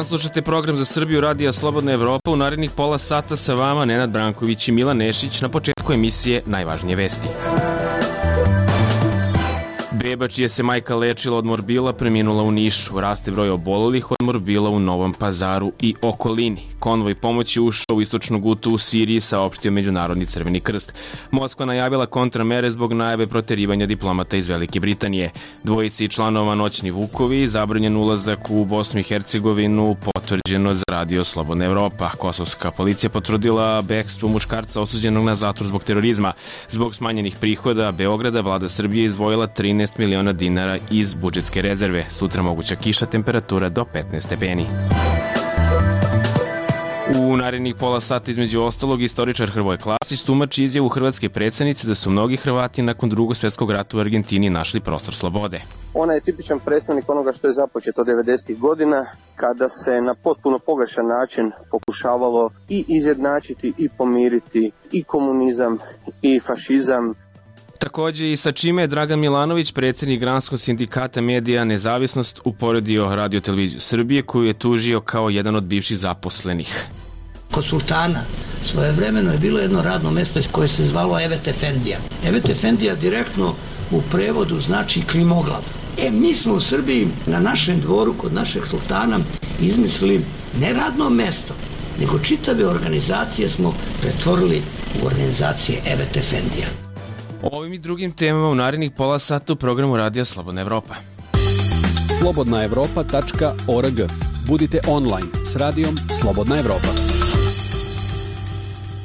dan, slušate program za Srbiju Radija Slobodna Evropa. U narednih pola sata sa vama Nenad Branković i Milan Nešić. Na početku emisije najvažnije vesti. Beba čije se majka lečila od morbila preminula u Nišu. Raste broj obolelih od morbila u Novom Pazaru i okolini. Konvoj pomoći ušao u istočnu Gutu u Siriji, saopštio Međunarodni Crveni krst. Moskva najavila kontramere zbog najave proterivanja diplomata iz Velike Britanije. Dvojici članova Noćni Vukovi, zabranjen ulazak u Bosnu i Hercegovinu, potvrđeno za Radio Slobodna Evropa. Kosovska policija potvrdila bekstvo muškarca osuđenog na zatvor zbog terorizma. Zbog smanjenih prihoda Beograda, vlada Srbije izdvojila 13 miliona dinara iz budžetske rezerve. Sutra moguća kiša, temperatura do 15 stepeni. U narednih pola sata između ostalog istoričar Hrvoje Klasić tumači izjavu hrvatske predsjednice da su mnogi Hrvati nakon Drugog svjetskog rata u Argentini našli prostor slobode. Ona je tipičan predstavnik onoga što je započeto 90. godina, kada se na potpuno pogrešan način pokušavalo i izjednačiti i pomiriti i komunizam i fašizam. Također i sa čime je Dragan Milanović, predsjednik Granskog sindikata medija Nezavisnost, uporedio Radio televiziju Srbije, koju je tužio kao jedan od bivših zaposlenih. Kod sultana svojevremeno je bilo jedno radno mjesto koje se zvalo Evet Efendija. Evet Efendija direktno u prevodu znači klimoglav. Mi smo u Srbiji na našem dvoru kod našeg sultana izmislili ne radno mjesto, nego čitave organizacije smo pretvorili u organizacije Evet Efendija. O ovim i drugim temama u narednih pola sata u programu Radija Slobodna Evropa. slobodnaevropa.org. Budite online s Radijom Slobodna Evropa.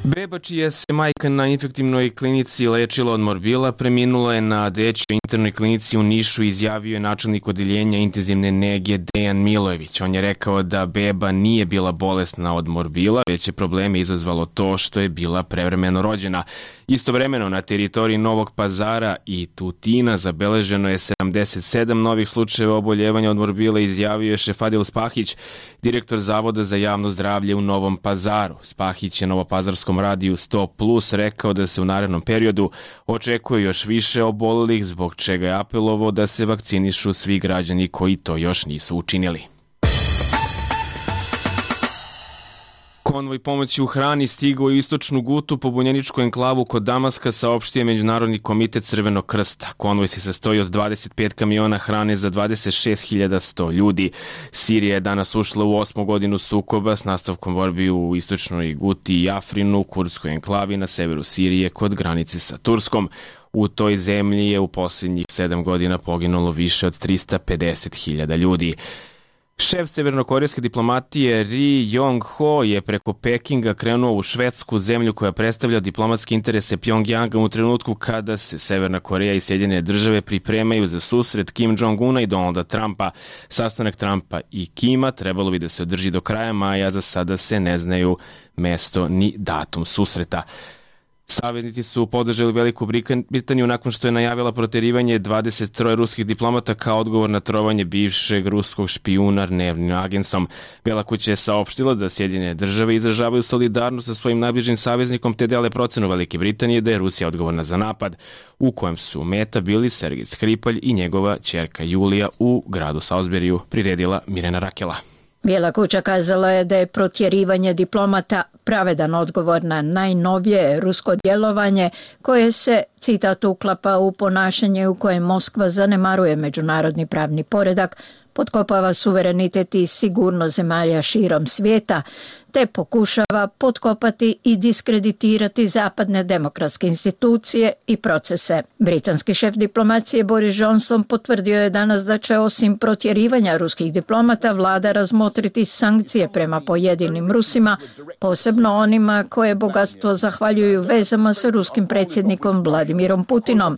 Beba čija se majka na infektivnoj klinici lečila od morbila preminula je na dečjoj internoj klinici u Nišu, izjavio je načelnik odeljenja intenzivne nege Dejan Milojević. On je rekao da beba nije bila bolesna od morbila, već je probleme izazvalo to što je bila prevremeno rođena. Istovremeno na teritoriji Novog Pazara i Tutina zabeleženo je 77 novih slučajeva oboljevanja od morbila, izjavio je Šefadil Spahić, direktor Zavoda za javno zdravlje u Novom Pazaru. Spahić je Novopazarskom radiju 100+ rekao da se u narednom periodu očekuje još više obolelih, zbog čega je apelovao da se vakcinišu svi građani koji to još nisu učinili. Konvoj pomoći u hrani stigao u istočnu Gutu, pobunjeničku enklavu kod Damaska, saopštio Međunarodni komitet Crvenog krsta. Konvoj se sastoji od 25 kamiona hrane za 26.100 ljudi. Sirija je danas ušla u 8. godinu sukoba s nastavkom borbi u istočnoj Guti i Afrinu, kurdskoj enklavi na severu Sirije kod granice sa Turskom. U toj zemlji je u posljednjih 7 godina poginulo više od 350.000 ljudi. Šef severnokorejske diplomatije Ri Yong-ho je preko Pekinga krenuo u Švedsku, zemlju koja predstavlja diplomatske interese Pjongjanga u trenutku kada se Severna Koreja i Sjedinjene države pripremaju za susret Kim Jong-una i Donalda Trumpa. Sastanak Trumpa i Kima trebalo bi da se održi do kraja maja, za sada se ne znaju mesto ni datum susreta. Saveznici su podržali Veliku Britaniju nakon što je najavila proterivanje 23 ruskih diplomata kao odgovor na trovanje bivšeg ruskog špijuna dnevnim agensom. Bela kuća je saopštila da Sjedinjene države izražavaju solidarnost sa svojim najbližim saveznikom te dele procenu Velike Britanije da je Rusija odgovorna za napad, u kojem su meta bili Sergej Skripalj i njegova ćerka Julija, u gradu Salisburyu priredila Mirjana Rakela. Bijela kuća kazala je da je protjerivanje diplomata pravedan odgovor na najnovije rusko djelovanje koje se, citat, uklapa u ponašanje u kojem Moskva zanemaruje međunarodni pravni poredak, potkopava suverenitet i sigurnost zemalja širom svijeta, te pokušava potkopati i diskreditirati zapadne demokratske institucije i procese. Britanski šef diplomacije Boris Johnson potvrdio je danas da će osim protjerivanja ruskih diplomata vlada razmotriti sankcije prema pojedinim Rusima, posebno onima koje bogatstvo zahvaljuju vezama sa ruskim predsjednikom Vladimirom Putinom.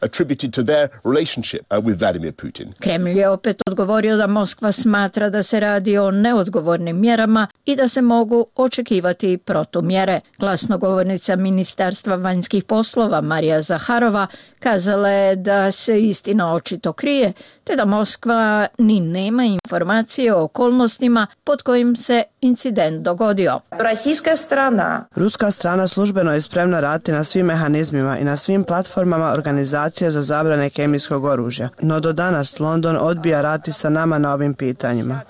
Kremlj je opet odgovorio da Moskva smatra da se radi o neodgovornim mjerama i da se mogu očekivati očekivati protumjere. Glasnogovornica Ministarstva vanjskih poslova Marija Zaharova kazala je da se istina očito krije, te da Moskva ni nema informacije o okolnostima pod kojim se incident dogodio. Ruska strana službeno je spremna raditi na svim mehanizmima i na svim platformama organizacije za zabrane kemijskog oružja, no do danas London odbija raditi sa nama na ovim pitanjima.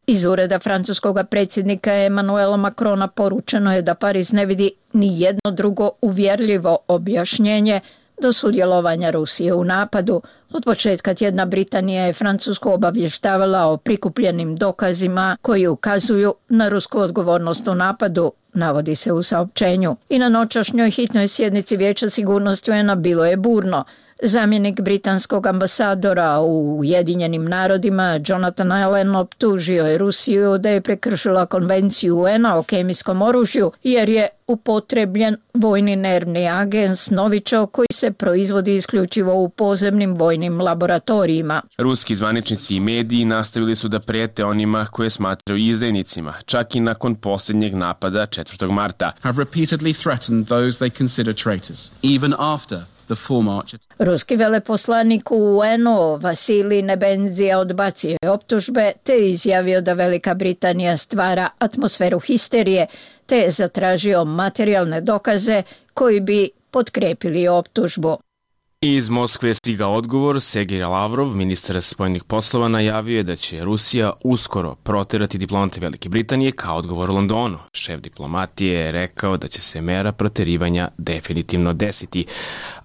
Iz ureda francuskog predsjednika Emmanuela Macrona poručeno je da Pariz ne vidi ni jedno drugo uvjerljivo objašnjenje do sudjelovanja Rusije u napadu. Od početka tjedna Britanija je Francusku obavještavala o prikupljenim dokazima koji ukazuju na rusku odgovornost u napadu, navodi se u saopćenju. I na noćašnjoj hitnoj sjednici Vijeća sigurnosti UN-a bilo je burno. Zamjenik britanskog ambasadora u Ujedinjenim narodima Jonathan Allen optužio je Rusiju da je prekršila konvenciju UN-a o kemijskom oružju jer je upotrebljen vojni nervni agens Novičok koji se proizvodi isključivo u podzemnim vojnim laboratorijima. Ruski zvaničnici i mediji nastavili su da prijete onima koje smatraju izdajnicima, čak i nakon posljednjeg napada 4. marta. Have repeatedly threatened those they consider traitors, even after Ruski veleposlanik u UN-u Vasilij Nebenzija odbacio je optužbe te je izjavio da Velika Britanija stvara atmosferu histerije te je zatražio materijalne dokaze koji bi potkrepili optužbu. Iz Moskve je stigao odgovor. Sergej Lavrov, ministar spoljnih poslova, najavio je da će Rusija uskoro proterati diplomate Velike Britanije kao odgovor Londonu. Šef diplomatije je rekao da će se mera proterivanja definitivno desiti.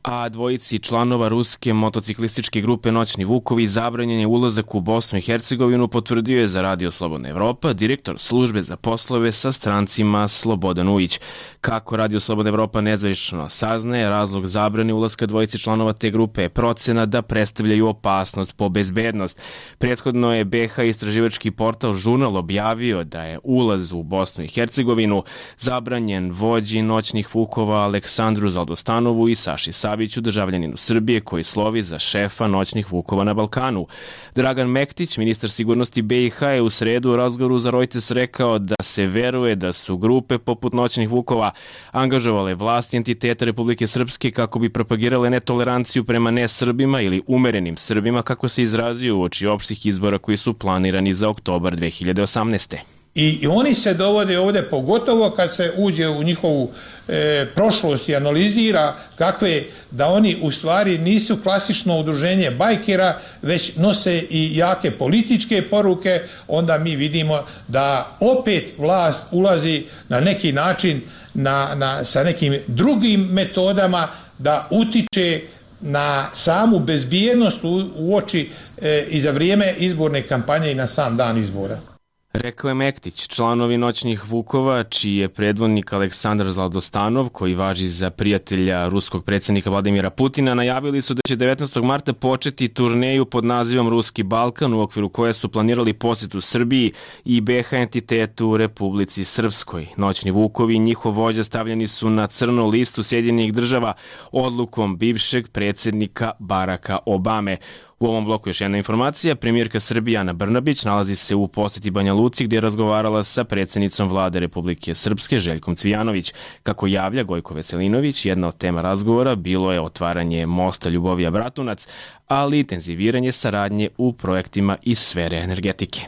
A dvojici članova ruske motociklističke grupe Noćni Vukovi zabranjen je ulazak u Bosnu i Hercegovinu, potvrdio je za Radio Slobodna Evropa direktor službe za poslove sa strancima Slobodan Ujić. Kako Radio Slobodna Evropa nezvanično saznaje, razlog zabrane ulaska dvojici članova te grupe je procena da predstavljaju opasnost po bezbednost. Prethodno je BiH istraživački portal Žurnal objavio da je ulaz u Bosnu i Hercegovinu zabranjen vođi Noćnih Vukova Aleksandru Zaldostanovu i Saši Saviću, državljaninu Srbije koji slovi za šefa Noćnih Vukova na Balkanu. Dragan Mektić, ministar sigurnosti BiH, je u sredu u razgovoru za Reuters rekao da se veruje da su grupe poput Noćnih Vukova angažovale vlasti entiteta Republike Srpske kako bi propagirale netoleranciju prema nesrbima ili umerenim Srbima, kako se izrazio uoči opštih izbora koji su planirani za oktobar 2018. I oni se dovode ovdje, pogotovo kad se uđe u njihovu prošlost i analizira kakve, da oni u stvari nisu klasično udruženje bajkera, već nose i jake političke poruke, onda mi vidimo da opet vlast ulazi na neki način sa nekim drugim metodama da utiče na samu bezbjednost uoči i za vrijeme izborne kampanje i na sam dan izbora. Rekao je Mektić. Članovi Noćnih Vukova, čiji je predvodnik Aleksandar Zaldostanov, koji važi za prijatelja ruskog predsjednika Vladimira Putina, najavili su da će 19. marta početi turneju pod nazivom Ruski Balkan, u okviru koje su planirali posjetu Srbiji i BiH entitetu u Republici Srpskoj. Noćni Vukovi i njihov vođa stavljeni su na crnu listu Sjedinjenih država odlukom bivšeg predsjednika Baracka Obame. U ovom bloku još jedna informacija. Premijerka Srbije Ana Brnabić nalazi se u posjeti Banja Luci gdje je razgovarala sa predsjednicom vlade Republike Srpske Željkom Cvijanović. Kako javlja Gojko Veselinović, jedna od tema razgovora bilo je otvaranje mosta Ljubovija Bratunac, ali i intenziviranje saradnje u projektima iz sfere energetike.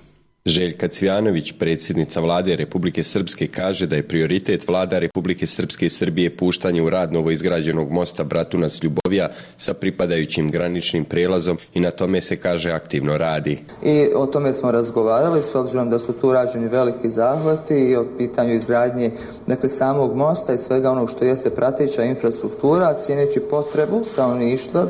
Željka Cvijanović, predsjednica vlade Republike Srpske, kaže da je prioritet vlada Republike Srpske i Srbije puštanje u rad novoizgrađenog mosta Bratunac-Ljubovija sa pripadajućim graničnim prijelazom i na tome se, kaže, aktivno radi. I o tome smo razgovarali s obzirom da su tu rađeni veliki zahvati i o pitanju izgradnje samog mosta i svega onog što jeste prateća infrastruktura, cijeneći potrebu stanovništva,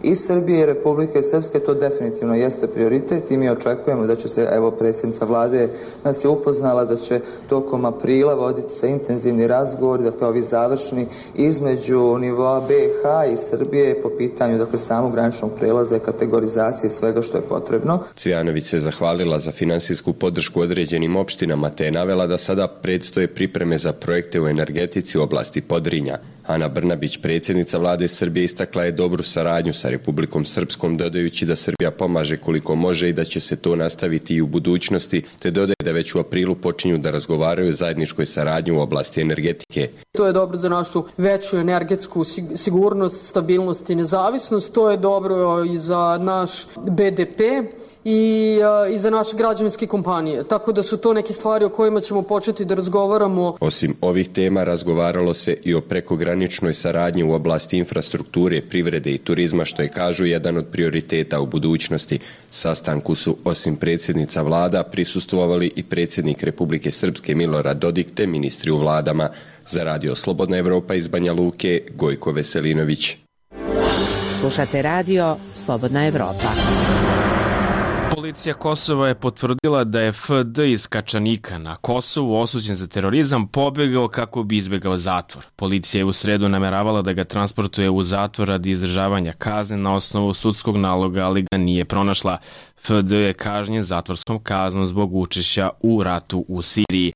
i Srbije i Republike Srpske, to definitivno jeste prioritet i mi očekujemo da će se, predsjednica vlade nas je upoznala da će tokom aprila voditi se intenzivni razgovori, ovi završni, između nivoa BiH i Srbije po pitanju samog graničnog prelaza i kategorizacije svega što je potrebno. Cvijanović se zahvalila za finansijsku podršku određenim opštinama te je navela da sada predstoje pripreme za projekte u energetici u oblasti Podrinja. Ana Brnabić, predsjednica vlade Srbije, istakla je dobru saradnju sa Republikom Srpskom, dodajući da Srbija pomaže koliko može i da će se to nastaviti i u budućnosti, te dodaje da već u aprilu počinju da razgovaraju o zajedničkoj saradnji u oblasti energetike. To je dobro za našu veću energetsku sigurnost, stabilnost i nezavisnost, to je dobro i za naš BDP i za naše građevinske kompanije. Tako da su to neke stvari o kojima ćemo početi da razgovaramo. Osim ovih tema razgovaralo se i o prekograničnoj saradnji u oblasti infrastrukture, privrede i turizma, što je, kažu, jedan od prioriteta u budućnosti. Sastanku su osim predsjednica vlada prisustvovali i predsjednik Republike Srpske Milorad Dodik te ministri u vladama. Za Radio Slobodna Evropa iz Banja Luke, Gojko Veselinović. Slušate Radio Slobodna Evropa. Policija Kosova je potvrdila da je FD iz Kačanika na Kosovu, osuđen za terorizam, pobegao kako bi izbegao zatvor. Policija je u sredu nameravala da ga transportuje u zatvor radi izdržavanja kazne na osnovu sudskog naloga, ali ga nije pronašla. FD je kažnjen zatvorskom kaznom zbog učešća u ratu u Siriji.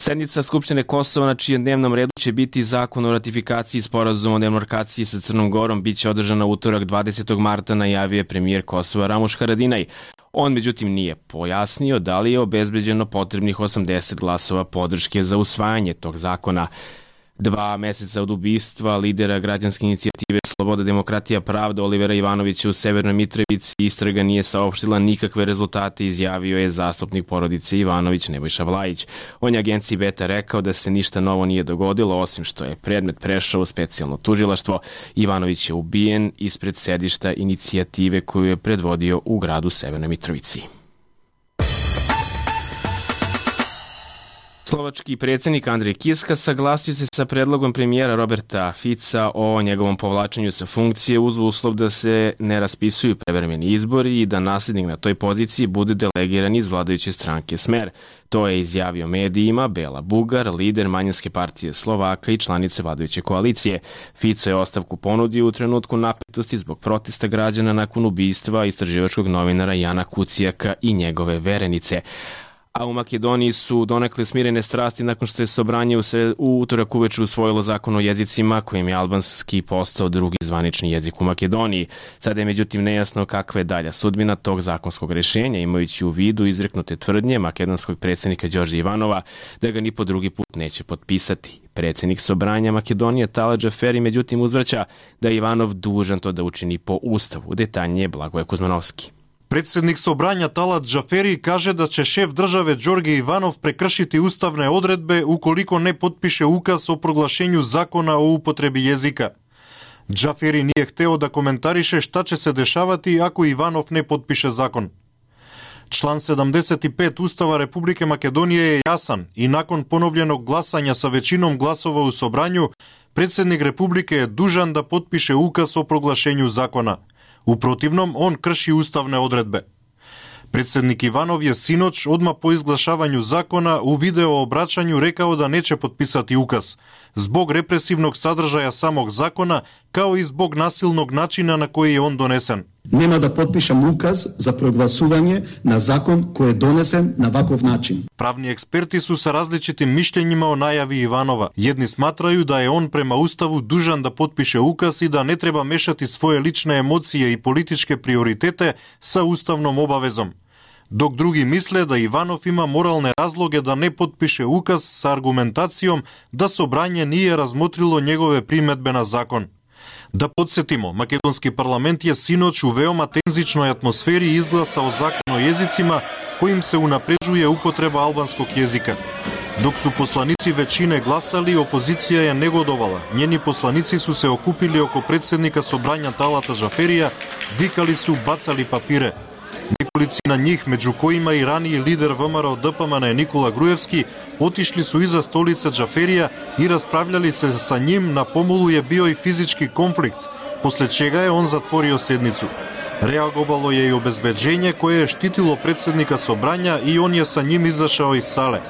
Sednica Skupštine Kosova, na čijem dnevnom redu će biti zakon o ratifikaciji sporazuma o demarkaciji sa Crnom Gorom, biće održana utorak 20. marta, najavio je premijer Kosova Ramuš Haradinaj. On međutim nije pojasnio da li je obezbeđeno potrebnih 80 glasova podrške za usvajanje tog zakona. 2 meseca od ubistva lidera građanske inicijative Sloboda, demokratija, pravda Olivera Ivanovića u Severnoj Mitrovici istraga nije saopštila nikakve rezultate, izjavio je zastupnik porodice Ivanović Nebojša Vlajić. On je agenciji Beta rekao da se ništa novo nije dogodilo, osim što je predmet prešao u specijalno tužilaštvo. Ivanović je ubijen ispred sedišta inicijative koju je predvodio u gradu Severnoj Mitrovici. Slovački predsjednik Andrej Kiska saglasio se sa predlogom premijera Roberta Fica o njegovom povlačenju sa funkcije uz uslov da se ne raspisuju prevremeni izbori i da nasljednik na toj poziciji bude delegiran iz vladajuće stranke Smer. To je izjavio medijima Bela Bugar, lider manjinske partije Slovaka i članice vladajuće koalicije. Fico je ostavku ponudio u trenutku napetosti zbog protesta građana nakon ubistva istraživačkog novinara Jana Kucijaka i njegove verenice. A u Makedoniji su donekle smirene strasti nakon što je Sobranje u utorak uveče usvojilo zakon o jezicima kojim je albanski postao drugi zvanični jezik u Makedoniji. Sada je međutim nejasno kakva je dalja sudbina tog zakonskog rješenja, imajući u vidu izreknute tvrdnje makedonskog predsjednika Đorđa Ivanova da ga ni po drugi put neće potpisati. Predsjednik Sobranja Makedonije Talat Džaferi međutim uzvraća da je Ivanov dužan to da učini po ustavu. Detaljnije Blagoje Kuzmanovski. Predsjednik Sobranja Talat Džaferi kaže da će šef države Đorđe Ivanov prekršiti ustavne odredbe ukoliko ne potpiše ukaz o proglašenju zakona o upotrebi jezika. Džaferi nije hteo da komentariše šta će se dešavati ako Ivanov ne potpiše zakon. Član 75 Ustava Republike Makedonije je jasan i nakon ponovljenog glasanja sa većinom glasova u Sobranju, predsjednik Republike je dužan da potpiše ukaz o proglašenju zakona. U protivnom, on krši ustavne odredbe. Predsjednik Ivanov je sinoć, odmah po izglašavanju zakona, u video obraćanju rekao da neće potpisati ukaz, zbog represivnog sadržaja samog zakona, kao i zbog nasilnog načina na koji je on donesen. Nema da potpišem ukaz za proglasuvanje na zakon koji je donesen na ovakav način. Pravni eksperti su sa različitim mišljenjima o najavi Ivanova. Jedni smatraju da je on prema Ustavu dužan da potpiše ukaz i da ne treba mešati svoje lične emocije i političke prioritete sa ustavnom obavezom. Dok drugi misle da Ivanov ima moralne razloge da ne potpiše ukaz sa argumentacijom da Sobranje nije razmotrilo njegove primedbe na zakon. Da podsjetimo, makedonski parlament je sinoć u veoma tenzičnoj atmosferi izglasao zakon o jezicima kojim se unapređuje upotreba albanskog jezika. Dok su poslanici većine glasali, opozicija je negodovala. Njeni poslanici su se okupili oko predsjednika Sobranja Talata Džaferija, vikali su, bacali papire. Nekolicina njih, među kojima i raniji lider VMRO DPMN Nikola Grujevski, otišli su iza stolice Džaferija i raspravljali se sa njim. Na pomolu je bio i fizički konflikt, posle čega je on zatvorio sednicu. Reagovalo je i obezbeđenje koje je štitilo predsjednika Sobranja i on je sa njim izašao iz sale.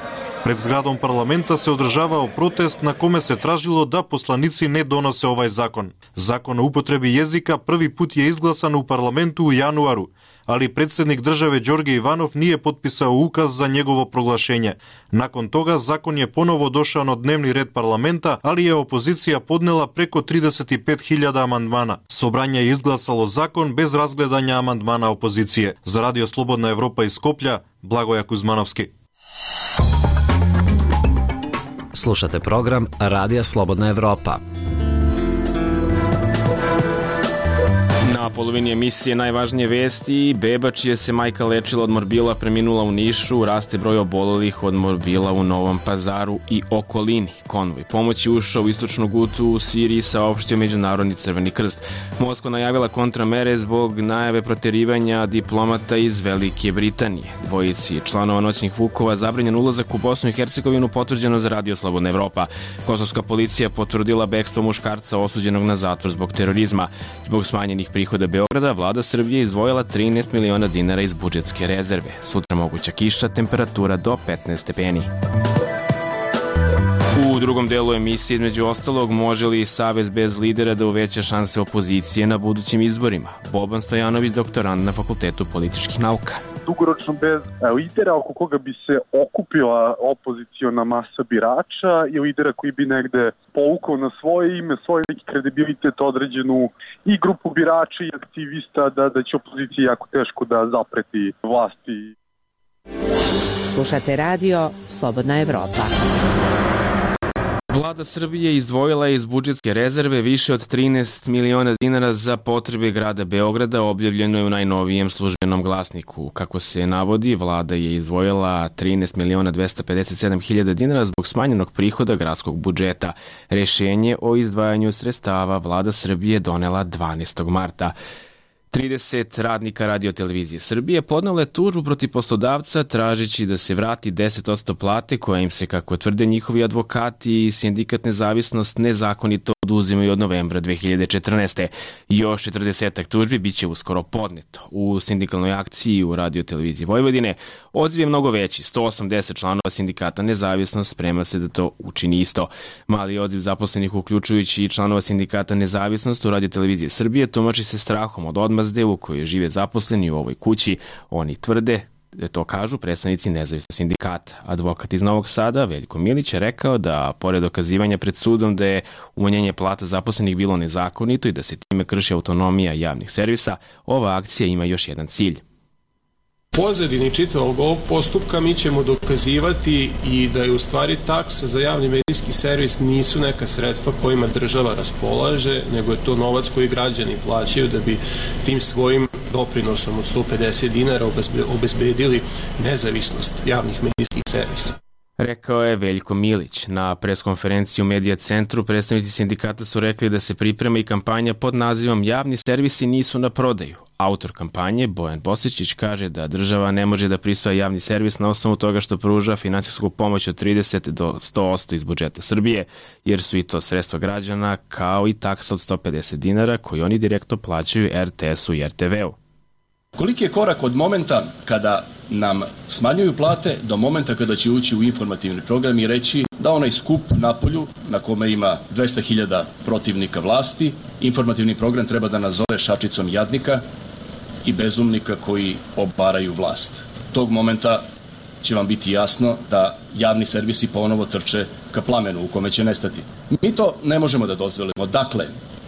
Pred zgradom parlamenta se održavao protest na kome se tražilo da poslanici ne donose ovaj zakon. Zakon o upotrebi jezika prvi put je izglasan u parlamentu u januaru, ali predsjednik države Đorđe Ivanov nije potpisao ukaz za njegovo proglašenje. Nakon toga zakon je ponovo došao na dnevni red parlamenta, ali je opozicija podnela preko 35.000 amandmana. Sobranje je izglasalo zakon bez razgledanja amandmana opozicije. Za Radio Slobodna Evropa iz Skoplja, Blagoja Kuzmanovski. Slušate program Radija Slobodna Evropa. Na polovini emisije najvažnije vesti, beba čija se majka lečila od morbila preminula u Nišu, raste broj obolelih od morbila u Novom Pazaru i okolini. Konvoj pomoći ušao u istočnu Gutu u Siriji, saopštio Međunarodni Crveni krst. Moskva najavila kontramere zbog najave proterivanja diplomata iz Velike Britanije. Dvojici članova noćnih vukova zabranjen ulazak u Bosnu i Hercegovinu, potvrđeno za Radio Slobodna Evropa. Kosovska policija potvrdila bekstvo muškarca osuđenog na zatvor zbog terorizma. Zbog smanjenih prihoda Beograda, vlada Srbije izdvojila 13 miliona dinara iz budžetske rezerve. Sutra moguća kiša, temperatura do 15 stepeni. U drugom delu emisije, između ostalog, može li Savez bez lidera da uveća šanse opozicije na budućim izborima? Boban Stojanović, doktorant na Fakultetu političkih nauka. Dugoročno bez lidera oko koga bi se okupila opoziciona masa birača i lidera koji bi negde povukao na svoje ime, svoj neki kredibilitet, određenu i grupu birača i aktivista da će opozicija jako teško da zapreti vlasti. Slušate radio Slobodna Evropa. Vlada Srbije izdvojila je iz budžetske rezerve više od 13 miliona dinara za potrebe grada Beograda, objavljeno je u najnovijem službenom glasniku. Kako se navodi, vlada je izdvojila 13 miliona 257 hiljada dinara zbog smanjenog prihoda gradskog budžeta. Rešenje o izdvajanju sredstava vlada Srbije donela 12. marta. 30 radnika Radio-televizije Srbije podnelo je tužbu protiv poslodavca tražeći da se vrati 10% plate koja im se, kako tvrde njihovi advokati i sindikat Nezavisnost, nezakonito oduzimaju od novembra 2014. Još 40 tužbi biće uskoro podneto. U sindikalnoj akciji u Radio-televiziji Vojvodine odziv je mnogo veći. 180 članova sindikata Nezavisnost sprema se da to učini isto. Mali odziv zaposlenih, uključujući i članova sindikata Nezavisnost u Radio-televiziji Srbije, tumači se strahom od odmazde u kojoj žive zaposleni u ovoj kući. Oni tvrde, to kažu predstavnici nezavisnog sindikata. Advokat iz Novog Sada, Veljko Milić, je rekao da, pored dokazivanja pred sudom da je umanjenje plata zaposlenih bilo nezakonito i da se time krši autonomija javnih servisa, ova akcija ima još jedan cilj. Pozadini čitavog ovog postupka mi ćemo dokazivati i da je u stvari taksa za javni medijski servis nisu neka sredstva kojima država raspolaže, nego je to novac koji građani plaćaju da bi tim svojim doprinosom od 150 dinara obezbedili nezavisnost javnih medijskih servisa. Rekao je Veljko Milić. Na preskonferenciji u Medija centru predstavnici sindikata su rekli da se priprema i kampanja pod nazivom Javni servisi nisu na prodaju. Autor kampanje, Bojan Bosičić, kaže da država ne može da prisvaja javni servis na osnovu toga što pruža finansijsku pomoć od 30 do 100% iz budžeta Srbije, jer su i to sredstva građana, kao i taksa od 150 dinara koju oni direktno plaćaju RTS-u i RTV-u. Koliki je korak od momenta kada nam smanjuju plate do momenta kada će ući u informativni program i reći da onaj skup napolju na kome ima 200.000 protivnika vlasti, informativni program treba da nazove šačicom jadnika i bezumnika koji obaraju vlast. Tog momenta će vam biti jasno da javni servisi ponovo trče ka plamenu u kome će nestati. Mi to ne možemo da dozvolimo. Dakle,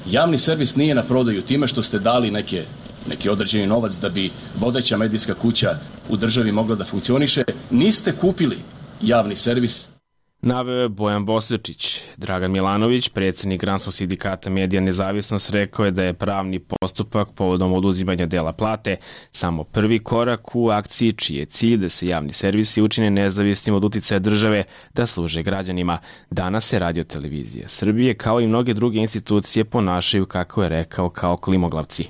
javni servis nije na prodaju time što ste dali neki određeni novac da bi vodeća medijska kuća u državi mogla da funkcioniše. Niste kupili javni servis. Naveo je Bojan Bosičić. Dragan Milanović, predsjednik Granskog sindikata Medija Nezavisnost, rekao je da je pravni postupak povodom oduzimanja dela plate samo prvi korak u akciji čiji je cilj da se javni servisi učine nezavisnim od uticaja države da služe građanima. Danas se Radio-televizija Srbije, kao i mnoge druge institucije, ponašaju, kako je rekao, kao klimoglavci.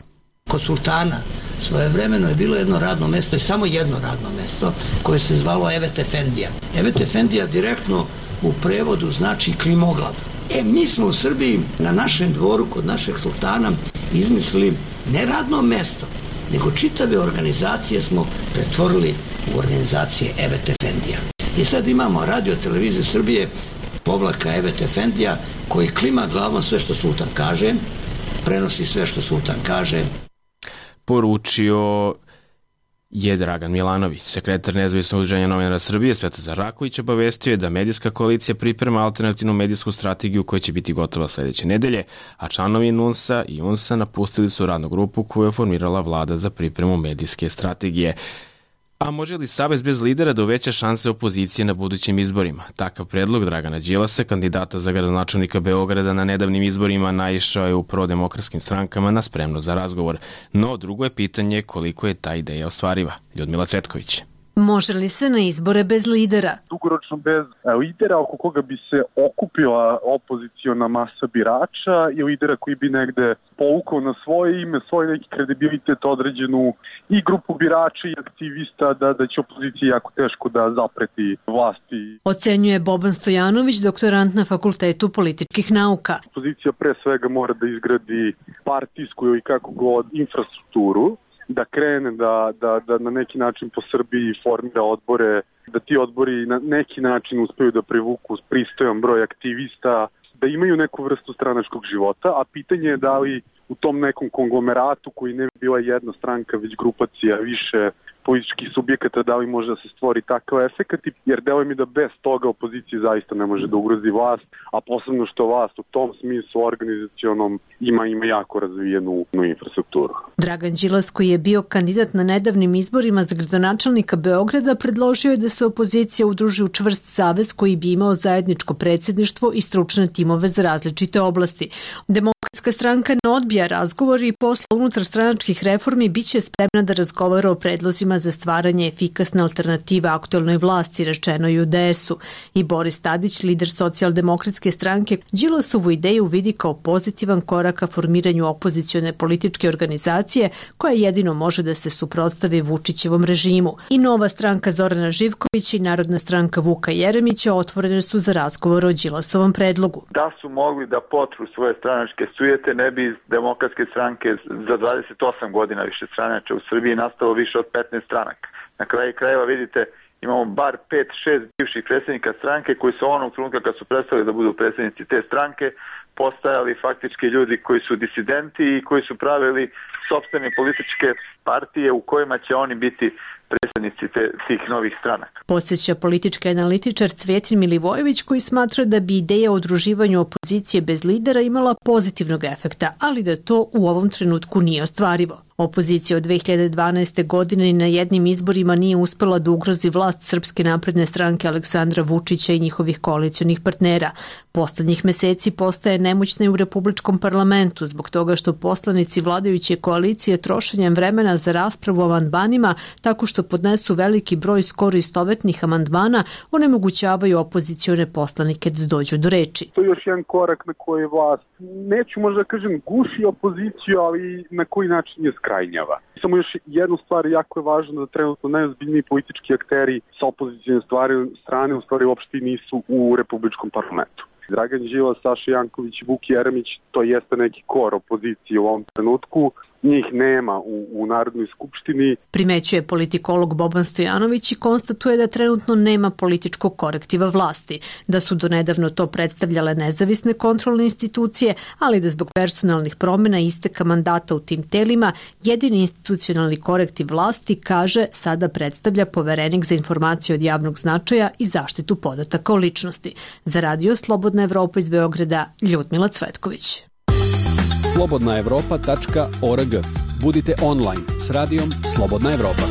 Kod sultana svojevremeno je bilo jedno radno mesto i samo jedno radno mesto koje se zvalo Evet Efendija. Evet Efendija direktno u prevodu znači klimoglav. Mi smo u Srbiji na našem dvoru kod našeg sultana izmislili ne radno mesto, nego čitave organizacije smo pretvorili u organizacije Evet Efendija. I sad imamo Radio-televiziju Srbije /Evet Efendija koji klima glavom sve što sultan kaže, prenosi sve što sultan kaže. Poručio je Dragan Milanović. Sekretar Nezavisnog udruženja novinara Srbije Svetozar Raković obavestio je da medijska koalicija priprema alternativnu medijsku strategiju koja će biti gotova sledeće nedelje, a članovi NUNS-a i UNS-a napustili su radnu grupu koju je formirala vlada za pripremu medijske strategije. A može li Savez bez lidera da uveća šanse opozicije na budućim izborima? Takav predlog Dragana Đilasa, kandidata za gradonačelnika Beograda na nedavnim izborima, naišao je u prodemokratskim strankama na spremno za razgovor. No, drugo je pitanje koliko je ta ideja ostvariva. Ljudmila Cvetković. Može li se na izbore bez lidera? Dugoročno bez lidera oko koga bi se okupila opoziciona masa birača i lidera koji bi negde povukao na svoje ime, svoj neki kredibilitet određenu i grupu birača i aktivista da će opoziciji jako teško da zapreti vlasti. Ocenjuje Boban Stojanović, doktorant na Fakultetu političkih nauka. Opozicija pre svega mora da izgradi partijsku ili kako god infrastrukturu, da krene da na neki način po Srbiji formira odbore, da ti odbori na neki način uspeju da privuku pristojan broj aktivista, da imaju neku vrstu stranačkog života, a pitanje je da li u tom nekom konglomeratu koji ne bi bila jedna stranka, već grupacija više političkih subjekata, da li može da se stvori takav efekat, jer deluje mi da bez toga opozicija zaista ne može da ugrozi vlast, a posebno što vlast u tom smislu organizacionom ima jako razvijenu infrastrukturu. Dragan Đilas, koji je bio kandidat na nedavnim izborima za gradonačelnika Beograda, predložio je da se opozicija udruži u čvrst savez koji bi imao zajedničko predsjedništvo i stručne timove za različite oblasti. Demokratska stranka ne odbija razgovor i posle unutarstranačkih reformi biće spremna da razgovara o predlozima za stvaranje efikasne alternative aktuelnoj vlasti, rečeno i u DS-u. I Boris Tadić, lider socijaldemokratske stranke, Đilasovu ideju vidi kao pozitivan korak ka formiranju opozicione političke organizacije koja jedino može da se suprotstavi Vučićevom režimu. I Nova stranka Zorana Živkovića i Narodna stranka Vuka Jeremića otvorene su za razgovor o Đilasovom predlogu. Da su mogli da potru svoje stranačke sujete, ne bi iz demokratske stranke za 28 godina više stranača u Srbiji nastalo više od 15 stranaka. Na kraju krajeva vidite, imamo bar 5-6 bivših predsjednika stranke koji su onog trenutka kad su prestali da budu predsjednici te stranke postajali faktički ljudi koji su disidenti i koji su pravili sopstvene političke partije u kojima će oni biti predsjednici tih novih stranaka. Podsjeća politički analitičar Cvetin Milivojević, koji smatra da bi ideja o udruživanju opozicije bez lidera imala pozitivnog efekta, ali da to u ovom trenutku nije ostvarivo. Opozicija od 2012. godine ni na jednim izborima nije uspela da ugrozi vlast Srpske napredne stranke Aleksandra Vučića i njihovih koalicionih partnera. Poslednjih meseci postaje nemoćna i u Republičkom parlamentu zbog toga što poslanici vladajuće koalicije trošenjem vremena za raspravu o amandmanima tako što podnesu veliki broj skoro istovetnih amandmana onemogućavaju opozicione poslanike da dođu do reči. To je još jedan korak na koji vlast, neću možda kažem guši opoziciju, ali na koji način je skrajnjava. Samo još jednu stvar, jako je važno da trenutno najozbiljniji politički akteri sa opozicijne strane u stvari uopšte nisu u Republičkom parlamentu. Dragan Đilas, Saša Janković, Vuk Jeremić, to jeste neki kor opozicije u ovom trenutku. Njih nema u Narodnoj skupštini. Primećuje politikolog Boban Stojanović i konstatuje da trenutno nema političkog korektiva vlasti, da su donedavno to predstavljale nezavisne kontrolne institucije, ali da zbog personalnih promjena i isteka mandata u tim telima jedini institucionalni korektiv vlasti, kaže, sada predstavlja Poverenik za informacije od javnog značaja i zaštitu podataka o ličnosti. Za Radio Slobodna Evropa iz Beograda, Ljudmila Cvetković. slobodnaevropa.org. Budite online s radijom Slobodna Evropa.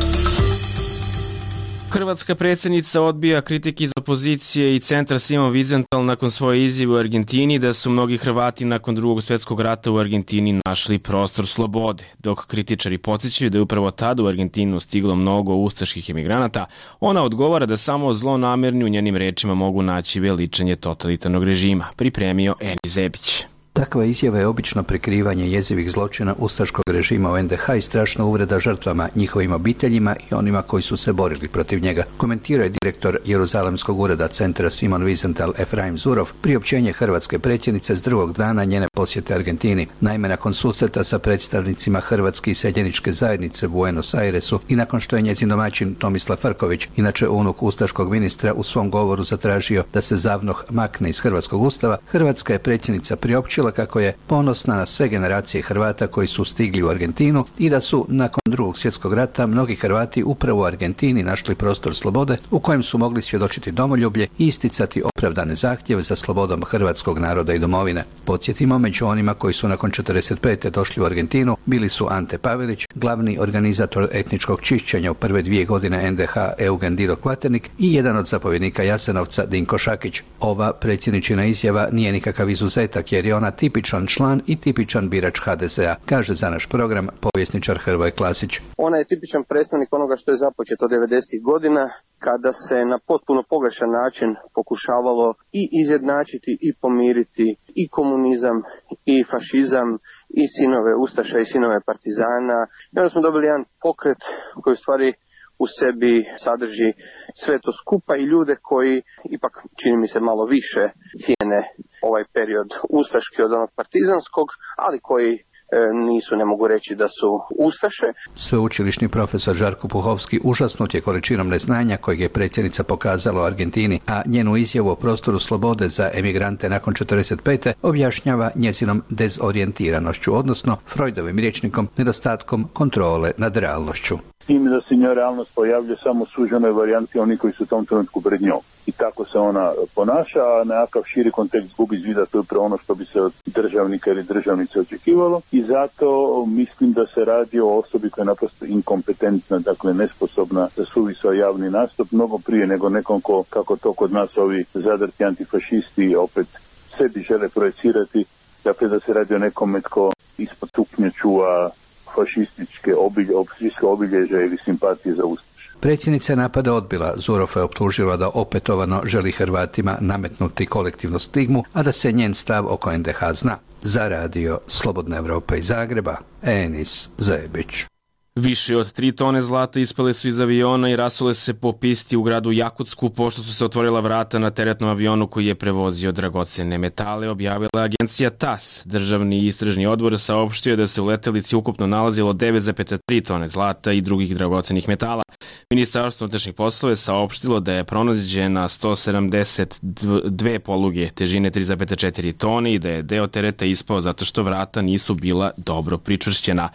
Hrvatska predsjednica odbija kritike iz opozicije i centra Simon Wiesenthal nakon svoje izjave u Argentini da su mnogi Hrvati nakon Drugog svjetskog rata u Argentini našli prostor slobode. Dok kritičari podsjećaju da je upravo tada u Argentinu stiglo mnogo ustaških emigranata, ona odgovara da samo zlonamerni u njenim rečima mogu naći veličanje totalitarnog režima. Pripremio Eni Zebić. Takva izjava je obično prikrivanje jezivih zločina ustaškog režima u NDH i strašna uvreda žrtvama, njihovim obiteljima i onima koji su se borili protiv njega, komentirao je direktor Jeruzalemskog ureda centra Simon Wiesenthal Efraim Zurov priopćenje hrvatske predsjednice s drugog dana njene posjete Argentini. Naime, nakon susreta sa predstavnicima Hrvatske iseljeničke zajednice u Buenos Airesu i nakon što je njezin domaćin Tomislav Frković, inače unuk ustaškog ministra, u svom govoru zatražio da se ZAVNOH makne iz hrvatskog ustava, hrvatska je predsjednica priopćila izjavila kako je ponosna na sve generacije Hrvata koji su stigli u Argentinu i da su nakon Drugog svjetskog rata mnogi Hrvati upravo u Argentini našli prostor slobode u kojem su mogli svjedočiti domoljublje i isticati opravdane zahtjeve za slobodom hrvatskog naroda i domovine. Podsjetimo, među onima koji su nakon 45. došli u Argentinu bili su Ante Pavelić, glavni organizator etničkog čišćenja u prve 2 godine NDH Eugen Diro Kvaternik i jedan od zapovjednika Jasenovca Dinko Šakić. Ova predsjedničina izjava nije nikakav izuzetak jer je ona tipičan član i tipičan birač HDZ-a, kaže za naš program povjesničar Hrvoje Klasić. Ona je tipičan predstavnik onoga što je započeto 90. godina, kada se na potpuno pogrešan način pokušavalo i izjednačiti i pomiriti i komunizam i fašizam i sinove Ustaša i sinove Partizana. I onda smo dobili jedan pokret koji u stvari u sebi sadrži sve to skupa i ljude koji ipak, čini mi se, malo više cijene ovaj period ustaški od onog partizanskog, ali koji nisu, ne mogu reći da su ustaše. Sveučilišni profesor Žarko Puhovski užasnut je količinom neznanja kojeg je predsjednica pokazala u Argentini, a njenu izjavu o prostoru slobode za emigrante nakon 45. objašnjava njezinom dezorijentiranošću, odnosno Freudovim rječnikom nedostatkom kontrole nad realnošću. Tim da se njoj realnost pojavlja samo u suženoj varijanti oni koji su u tom trenutku pred njom. I tako se ona ponaša, a nekakav širi kontekst gubi iz vida, to je upravo ono što bi se od državnika ili državnice očekivalo. I zato mislim da se radi o osobi koja je naprosto inkompetentna, dakle nesposobna za suvisao javni nastup, mnogo prije nego nekom ko, kako to kod nas ovi zadrti antifašisti opet sebi žele projecirati, dakle da se radi o nekome tko ispod stupnja čuva fašističke obilježja ili simpatije za Ustaše. Predsjednica je napada odbila. Zurofa je optužila da opetovano želi Hrvatima nametnuti kolektivnu stigmu, a da se njen stav oko NDH zna. Za radio Slobodna Evropa iz Zagreba, Enis Zebić. Više od 3 tone zlata ispale su iz aviona i rasule se po pisti u gradu Jakutsku pošto su se otvorila vrata na teretnom avionu koji je prevozio dragocene metale, objavila agencija TAS. Državni istražni odbor saopštio da se u letelici ukupno nalazilo 9,3 tone zlata i drugih dragocenih metala. Ministarstvo unutrašnjih poslova je saopštilo da je pronađena 172 poluge težine 3,4 tone i da je deo tereta ispao zato što vrata nisu bila dobro pričvršćena.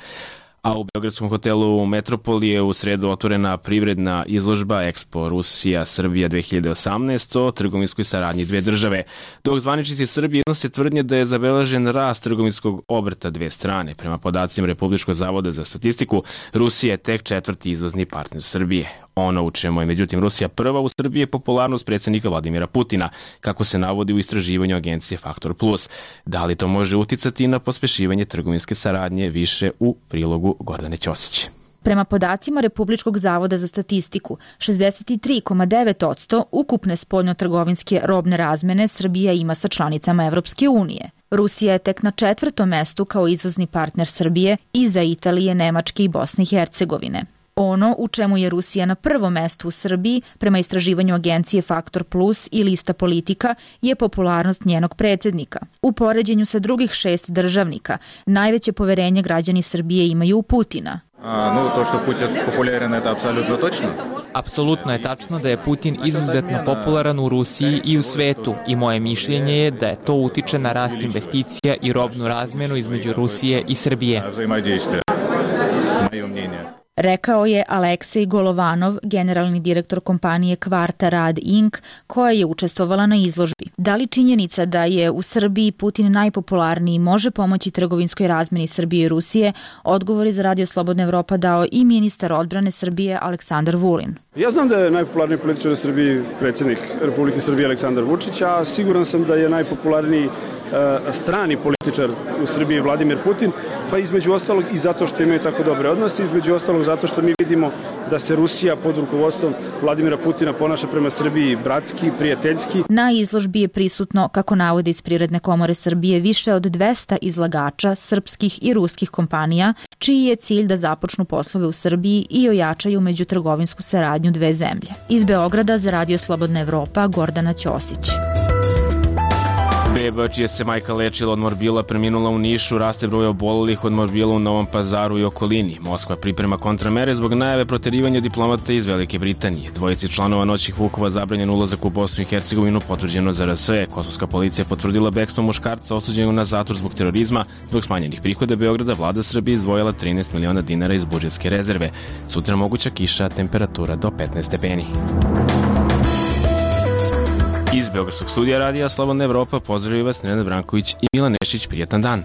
A u beogradskom hotelu Metropoli je u sredu otvorena privredna izložba Expo Rusija-Srbija 2018 o trgovinskoj saradnji dve države. Dok zvaničnici Srbije iznose tvrdnje da je zabeležen rast trgovinskog obrta dve strane. Prema podacima Republičkog zavoda za statistiku, Rusija je tek 4. izvozni partner Srbije. Ono u čemu je međutim Rusija prva u Srbiji je popularnost predsjednika Vladimira Putina, kako se navodi u istraživanju agencije Faktor Plus. Da li to može uticati na pospešivanje trgovinske saradnje, više u prilogu Gordane Ćosić. Prema podacima Republičkog zavoda za statistiku, 63,9% ukupne spoljnotrgovinske robne razmene Srbija ima sa članicama Evropske unije. Rusija je tek na 4. mestu kao izvozni partner Srbije iza Italije, Nemačke i Bosne i Hercegovine. Ono u čemu je Rusija na prvom mestu u Srbiji, prema istraživanju agencije Faktor Plus i lista politika, je popularnost njenog predsjednika. U poređenju sa drugih 6 državnika, najveće poverenje građani Srbije imaju u Putina. To što Putin popularan, je apsolutno točno. Apsolutno je tačno da je Putin izuzetno popularan u Rusiji i u svetu i moje mišljenje je da je to utiče na rast investicija i robnu razmjenu između Rusije i Srbije. Rekao je Aleksej Golovanov, generalni direktor kompanije Kvarta Rad Inc., koja je učestvovala na izložbi. Da li činjenica da je u Srbiji Putin najpopularniji može pomoći trgovinskoj razmjeni Srbije i Rusije? Odgovor je za Radio Slobodna Evropa dao i ministar odbrane Srbije Aleksandar Vulin. Ja znam da je najpopularniji političar u Srbiji predsjednik Republike Srbije Aleksandar Vučić, a siguran sam da je najpopularniji strani političar u Srbiji Vladimir Putin, pa između ostalog i zato što imaju tako dobre odnose, između ostalog zato što mi vidimo da se Rusija pod rukovodstvom Vladimira Putina ponaša prema Srbiji bratski, prijateljski. Na izložbi je prisutno, kako navode iz Privredne komore Srbije, više od 200 izlagača srpskih i ruskih kompanija, čiji je cilj da započnu poslove u Srbiji i ojačaju međutrgovinsku saradnju dve zemlje. Iz Beograda za Radio Slobodna Evropa, Gordana Ćosić. Beba čija se majka lečila od morbila preminula u Nišu, raste broj obolelih od morbila u Novom Pazaru i okolini. Moskva priprema kontramere zbog najave proterivanja diplomata iz Velike Britanije. Dvojici članova noćnih vukova zabranjen ulazak u Bosnu i Hercegovinu, potvrđeno za RS. Kosovska policija potvrdila bekstvo muškarca osuđenog na zatvor zbog terorizma. Zbog smanjenih prihoda Beograda vlada Srbije izdvojila 13 miliona dinara iz budžetske rezerve. Sutra moguća kiša, temperatura do 15 stepeni. Iz Beogradskog studija radija Slobodna Evropa pozdravljaju vas Nenad Branković i Milan Nešić. Prijetan dan.